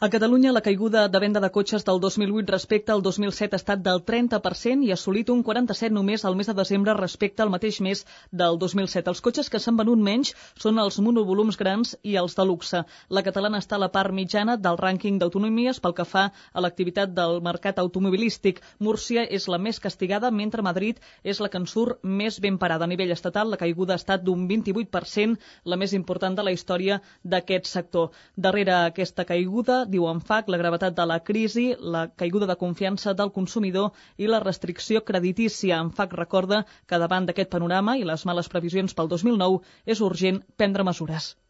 A Catalunya, la caiguda de venda de cotxes del 2008 respecte al 2007 ha estat del 30% i ha assolit un 47% només al mes de desembre respecte al mateix mes del 2007. Els cotxes que s'han venut menys són els monovolums grans i els de luxe. La catalana està a la part mitjana del rànquing d'autonomies pel que fa a l'activitat del mercat automobilístic. Múrcia és la més castigada, mentre Madrid és la que en surt més ben parada. A nivell estatal, la caiguda ha estat d'un 28%, la més important de la història d'aquest sector. Darrere aquesta caiguda, diu ANFAC, la gravetat de la crisi, la caiguda de confiança del consumidor i la restricció creditícia. ANFAC recorda que davant d'aquest panorama i les males previsions pel 2009 és urgent prendre mesures.